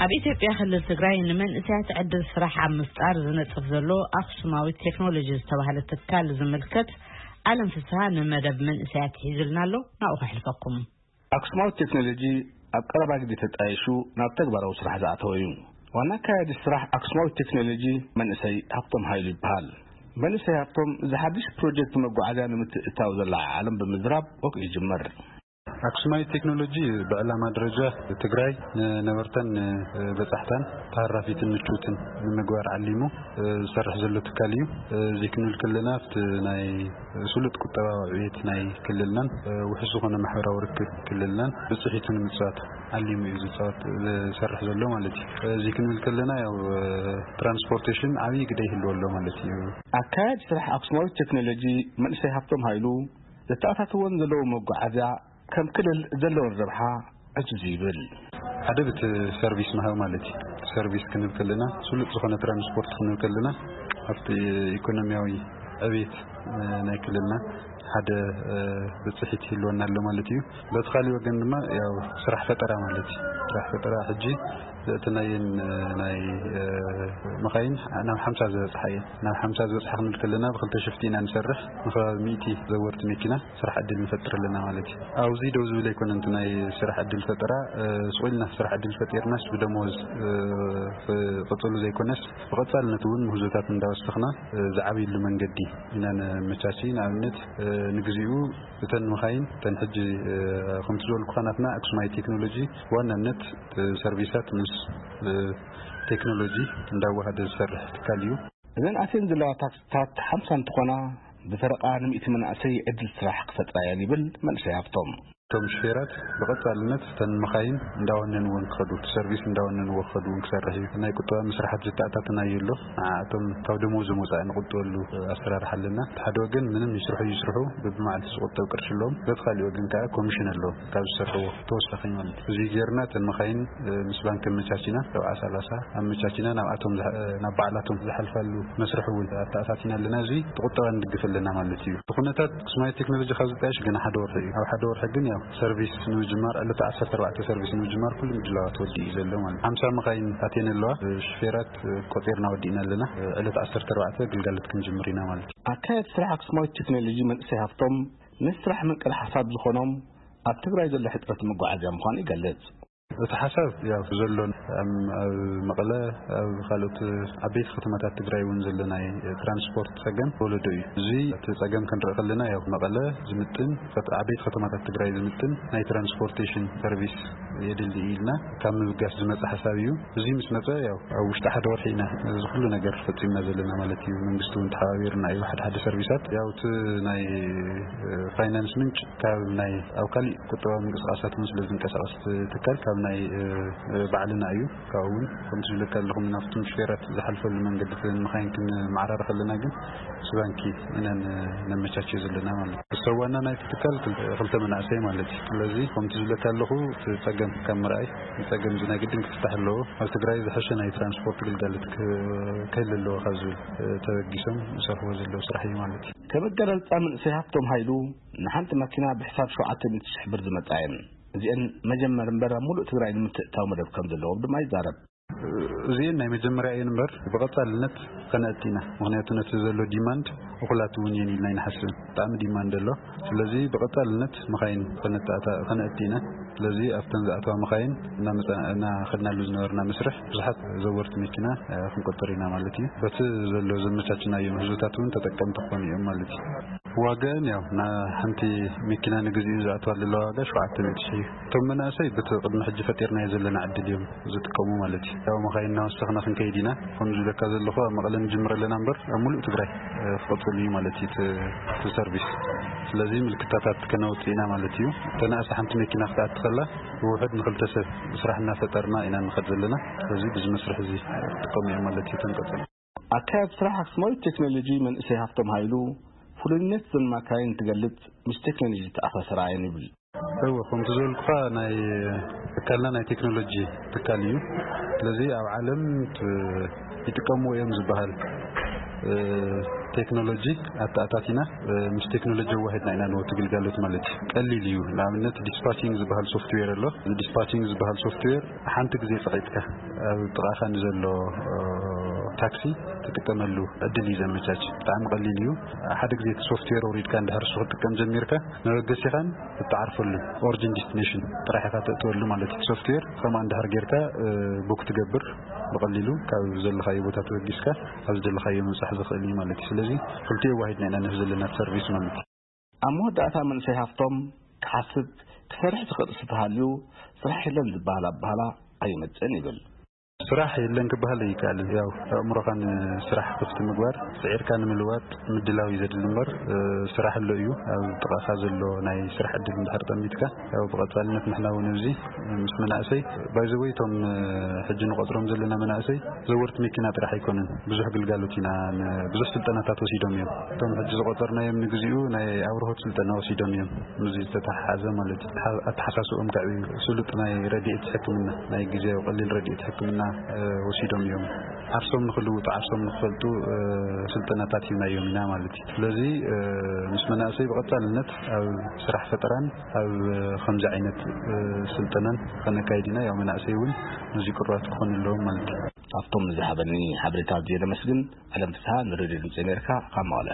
ኣብ ኢትዮጵያ ክልል ትግራይ ንመንእሰያት ዕድል ስራሕ ኣብ ምፍጣር ዝነጥፍ ዘሎ ኣክሱማዊት ቴክኖሎጂ ዝተባህለ ትካል ዝምልከት ኣለም ፍስሃ ንመደብ መንእሰያት ሒዙልና ኣሎ። ናብኡ ከሕልፈኩም። ኣክሱማዊት ቴክኖሎጂ ኣብ ቀረባ ግዜ ተጣይሹ ናብ ተግባራዊ ስራሕ ዝኣተወ እዩ። ዋና ኣካያዲ ስራሕ ኣክሱማዊት ቴክኖሎጂ መንእሰይ ሃብቶም ሃይሉ ይበሃል። መንእሰይ ሃብቶም እዚ ሓድሽ ፕሮጀክት መጓዓዝያ ንምትእትታው ዘለዓዓሎም ብምዝራብ ወግዒ ይጅምር። ኣክሱማዊት ቴክኖሎጂ ብዕላማ ደረጃ ትግራይ ንነበርተን ንበጻሕታን ተሃራፊትን ምቹትን ንምግባር ዓሊሙ ዝሰርሕ ዘሎ ትካል እዩ። እዚ ክንብል ከለና ኣብቲ ናይ ስሉጥ ቁጠባዊ ዕቤት ናይ ክልልናን ውሑስ ዝኾነ ማሕበራዊ ርክብ ክልልናን ብጽሒቱ ንምጽዋት ዓሊሙ እዩ ዝጻወት ዝሰርሕ ዘሎ ማለት እዩ። እዚ ክንብል ከለና ያው ትራንስፖርቴሽን ዓብዪ ግደ ይህልዎ ኣሎ ማለት እዩ። ኣካያዲ ስራሕ ኣክሱማዊት ቴክኖሎጂ መንእሰይ ሃብቶም ሃይሉ ዘተኣታትዎን ዘለዎ መጓዓዝያ ከም ክልል ዘለዎን ረብሓ ዕዙዝ ይብል። ሓደ ብቲ ሰርቪስ ምሃብ ማለት እዩ። ሰርቪስ ክንብል ከለና ስሉጥ ዝኾነ ትራንስፖርት ክንብል ከለና ኣብቲ ኢኮኖሚያዊ ዕቤት ናይ ክልልና ሓደ ብፅሒት ይህልወና ኣሎ ማለት እዩ። በቲ ካሊእ ወገን ድማ ያው ስራሕ ፈጠራ ማለት እዩ። ስራሕ ፈጠራ ሕጂ እቲ ናየን ናይ መኻይን ናብ ሓምሳ ዝበፅሓ እየን። ናብ ሓምሳ ዝበፅሓ ክንብል ከለና ብክልተ ሽፍቲ ኢና ንሰርሕ። ንከባቢ ሚእቲ ዘወርቲ መኪና ስራሕ ዕድል ንፈጥር ኣለና ማለት እዩ። ኣብዚ ደው ዝብል ኣይኮነን። እቲ ናይ ስራሕ ዕድል ፈጠራ ስቑልና ስራሕ ዕድል ፈጢርናስ ብደሞዝ ክቕፅሉ ዘይኮነስ ብቐፃልነት እውን ምህዞታት እንዳወሰኽና ዝዓብይሉ መንገዲ ኢና ነመቻቺ። ንኣብነት ንግዚኡ እተን መኻይን እተን ሕጂ ከምቲ ዝበልኩኻ ናትና ኣክሱማይ ቴክኖሎጂ ብዋናነት ሰርቪሳት ምስ ቴክኖሎጂ እንዳዋሃደ ዝሰርሕ ትካል እዩ። እዘን ኣትየን ዘለዋ ታክሲታት ሓምሳ እንትኾና ብፈረቓ ንሚእቲ መናእሰይ ዕድል ስራሕ ክፈጥራ እየን ይብል መንእሰይ ሃብቶም። እቶም ሹፌራት ብቐፃልነት እተን መኻይን እንዳወነንወን ክኸዱ፣ እቲ ሰርቪስ እንዳወነንዎ ክኸዱ እውን ክሰርሕ እዩ። ናይ ቁጠባ ምስራሓት ዝተኣታተናዮ ኣሎ። ንዓኣቶም ካብ ደሞዝ ወፃኢ ንቁጥበሉ ኣሰራርሓ ኣለና። እቲ ሓደ ወገን ምንም ይስርሑ ይስርሑ በብመዓልቲ ዝቁጠብ ቅርሺ ኣለዎም። በቲ ካሊእ ወገን ከዓ ኮሚሽን ኣለዎም ካብ ዝሰርሕዎ ተወሳኺ ማለት እዩ። እዚ ጌርና እተን መኻይን ምስ ባንክ ኣመቻቺና ሰብዓ ሰላሳ ኣመቻቺና ናብኣቶም ዝሓ- ናብ ባዕላቶም ዝሓልፋሉ መስርሕ እውን ኣተኣታቲና ኣለና። እዚ ቁጠባ ንድግፍ ኣለና ማለት እዩ። እቲ ኩነታት ኣክሱማይ ቴክኖሎጂ ካብ ዝጣየሽ ገና ሓደ ወርሒ እዩ። ኣብ ሓደ ወርሒ ግን ያው ሰርቪስ ንምጅማር ዕለተ ዓሰርተ ኣርባዕተ ሰርቪስ ንምጅማር ኩሉ ምድላዋት ወዲኡ እዩ ዘሎ ማለት እዩ። ሓምሳ መኻይን ኣትየን ኣለዋ። ሽፌራት ቆፂርና ወዲእና ኣለና። ዕለት ዓሰርተ ኣርባዕተ ግልጋሎት ክንጅምር ኢና ማለት እዩ። ኣካየድ ስራሕ ኣክሱማዊት ቴክኖሎጂ መንእሰይ ሃፍቶም ንስራሕ ምንቅል ሓሳብ ዝኾኖም ኣብ ትግራይ ዘሎ ሕፅረት መጓዓዝያ ምዃኑ ይገልጽ። እቲ ሓሳብ ያው ዘሎ ኣብ መቐለ ኣብ ካልኦት ዓበይቲ ከተማታት ትግራይ እውን ዘሎ ናይ ትራንስፖርት ፀገም ወለዶ እዩ። እዚ እቲ ፀገም ክንርኢ ከለና ያው መቐለ ዝምጥን ዓበይቲ ከተማታት ትግራይ ዝምጥን ናይ ትራንስፖርቴሽን ሰርቪስ የድሊ ኢልና ካብ ምብጋስ ዝመፀ ሓሳብ እዩ። እዚ ምስ መፀ ያው ኣብ ውሽጢ ሓደ ወርሒ ኢና እዚ ኩሉ ነገር ፈፂምና ዘለና ማለት እዩ። መንግስቲ እውን ተሓባቢርና እዩ። ሓደ ሓደ ሰርቪሳት ያው እቲ ናይ ፋይናንስ ምንጭ ካብ ናይ ኣብ ካሊእ ቁጠባዊ ምንቅስቃሳት እውን ስለ ዝንቀሳቀስ ትካል ካብ ናይ ባዕልና እዩ። ካብኡ እውን ከምቲ ዝብለካ ኣለኹ ናብቶም ሽፌራት ዝሓልፈሉ መንገዲ መኻይን ክንመዓራረ ከለና ግን ምስ ባንኪ ኢና ነመቻቸ ዘለና ማለት እዩ። ሰዋና ናይቲ ትካል ክልተ መናእሰይ ማለት እዩ። ስለዚ ከምቲ ዝብለካ ኣለኹ እቲ ፀገም ካብ ምርኣይ ንፀገም እዚ ናይ ግድን ክፍታሕ ኣለዎ። ኣብ ትግራይ ዝሐሸ ናይ ትራንስፖርት ግልጋሎት ክህል ኣለዎ ካብ ዝብል ተበጊሶም ዝሰርሕዎ ዘለዉ ስራሕ እዩ ማለት እዩ። ከመገለልፃ መንእሰይ ሃፍቶም ሃይሉ ንሓንቲ መኪና ብሕሳብ ሸውዓተ ሚእቲ ሽሕ ብር ዝመፃ እየን። እዚአን መጀመር እምበር ኣብ ሙሉእ ትግራይ ንምትእታው መደብ ከም ዘለዎም ድማ ይዛረብ። እዚአን ናይ መጀመርያ እየን እምበር ብቐፃልነት ከነእቲ ኢና። ምክንያቱ ነቲ ዘሎ ዲማንድ እኹላት እውን እየን ኢልና ኣይንሓስብን። ብጣዕሚ ዲማንድ ኣሎ። ስለዚ ብቐፃልነት መኻይን ከነእቲ ኢና። ስለዚ ኣብተን ዝኣተዋ መኻይን እናኸድናሉ ዝነበርና መስርሕ ብዙሓት ዘወርቲ መኪና ክንቆጥር ኢና ማለት እዩ። በቲ ዘሎ ዘመቻችናዮ ምህዞታት እውን ተጠቀምቲ ክኾኑ እዮም ማለት እዩ። ዋጋን ያው ሓንቲ መኪና ንግዚኡ ዝኣትዋ ዘለዋ ዋጋ ሸውዓተ ሚእቲ ሽሕ እዩ። እቶም መናእሰይ በቲ ቅድሚ ሕጂ ፈጢርናዮ ዘለና ዕድል እዮም ዝጥቀሙ ማለት እዩ። ያው መኻይን እናወሰኽና ክንከይድ ኢና። ከም ዝብለካ ዘለኹ ኣብ መቐለ ንጅምር ኣለና እምበር ኣብ ሙሉእ ትግራይ ክቕፅል እዩ ማለት እዩ እቲ ሰርቪስ። ስለዚ ምልክታታት ከነውፅእ ኢና ማለት እዩ። ተናእሰ ሓንቲ መኪና ክትኣቲ ከላ ብውሕድ ንክልተ ሰብ ስራሕ እናፈጠርና ኢና ንኸድ ዘለና። ስለዚ ብዚ መስርሕ እዚ ክጥቀሙ እዮም ማለት እዩ ተንቀፅል። ኣካያዲ ስራሕ ኣክስማዊት ቴክኖሎጂ መንእሰይ ሃፍቶም ሃይሉ ፍሉይነት ዘን ማካይን ትገልጽ ምስ ቴክኖሎጂ ዝተኣሳሰራ እየን ይብል። እወ ከምቲ ዝበልኩኻ ናይ ትካልና ናይ ቴክኖሎጂ ትካል እዩ። ስለዚ ኣብ ዓለም ይጥቀምዎ እዮም ዝበሃል ቴክኖሎጂ ኣተኣታቲና ምስ ቴክኖሎጂ ኣዋሂድና ኢና ነወቲ ግልጋሎት ማለት እዩ። ቀሊል እዩ። ንኣብነት ዲስፓቺንግ ዝበሃል ሶፍትዌር ኣሎ። እዚ ዲስፓቺንግ ዝበሃል ሶፍትዌር ሓንቲ ግዜ ጸቒጥካ ኣብ ጥቓኻ ንዘሎ ታክሲ ትጥቀመሉ ዕድል እዩ ዘመቻች። ብጣዕሚ ቀሊል እዩ። ሓደ ግዜ እቲ ሶፍትዌር ኣውሪድካ እንድሕር እሱ ክትጥቀም ጀሚርካ መበገሲኻን እትዓርፈሉ ኦሪጂን ዲስቲኔሽን ጥራሕ ኢኻ ተእትወሉ ማለት እዩ። ሶፍትዌር ከምኣ እንድሕር ጌርካ ቡክ ትገብር ብቐሊሉ ካብ ዘለኻዮ ቦታ ተበጊስካ ኣብ ዝደለኻዮ ምብጻሕ ዝኽእል እዩ ማለት እዩ። ስለዚ ክልቲኡ ኣዋሂድና ኢና ንህብ ዘለና ሰርቪስ ማለት እዩ። ኣብ መወዳእታ መንእሰይ ሃፍቶም ክሓስብ ክሰርሕ ዝኽእል እሱ ተሃልዩ ስራሕ የለን ዝበሃል ኣባህላ ኣይመጽእን ይብል። ስራሕ የለን ክበሃል ኣይከኣልን። ያው ኣእምሮኻ ንስራሕ ክፍቲ ምግባር፣ ስዒርካ ንምልዋጥ ምድላው እዩ ዘድሊ እምበር፣ እ፣ ስራሕ ኣሎ እዩ። ኣብ ጥቓኻ ዘሎ ናይ ስራሕ ዕድል እንድሕር ጠሚትካ፣ ያው ብቐጻልነት ንሕና እውን ኣብዚ ምስ መናእሰይ፣ ባይ ዘ ወይ እቶም፣ እ፣ ሕጂ ንቆጽሮም ዘለና መናእሰይ ዘወርቲ መኪና ጥራሕ ኣይኮኑን። ብዙሕ ግልጋሎት ኢና ን-፣ ብዙሕ ስልጠናታት ወሲዶም እዮም። እቶም ሕጂ ዝቆጸርናዮም ንግዚኡ ናይ ኣብርሆት ስልጠና ወሲዶም እዮም። ምስዚ ዝተተሓሓዘ ማለት እዩ። ኣተሓ-፣ ኣተሓሳስብኦም ከዕብዩ፣ ስሉጥ ናይ ረድኤት ሕክምና፣ ናይ ግዜያዊ ቀሊል ረድኤት ሕክምና፣ እ፣ ወሲዶም እዮም። ዓርሶም ንኽልውጡ፣ ዓርሶም ንኽፈልጡ፣ እ፣ ስልጠናታት ሂብናዮም ኢና ማለት እዩ። ስለዚ፣ እ፣ ምስ መናእሰይ ብቐጻልነት ኣብ ስራሕ ፈጠራን ኣብ ከምዚ ዓይነት፣ እ፣ ስልጠናን ከነካይድ ኢና። ያው መናእሰይ እውን ነዚ ቅሩባት ክኾኑ ኣለዎም ማለት እዩ። ኣብቶም ዝሃበኒ ሓበሬታ ኣዝየ ዘመስግን። ዓለም ፍስሃ ንሬድዮ ድምፂ ኣሜሪካ ካብ መቐለ።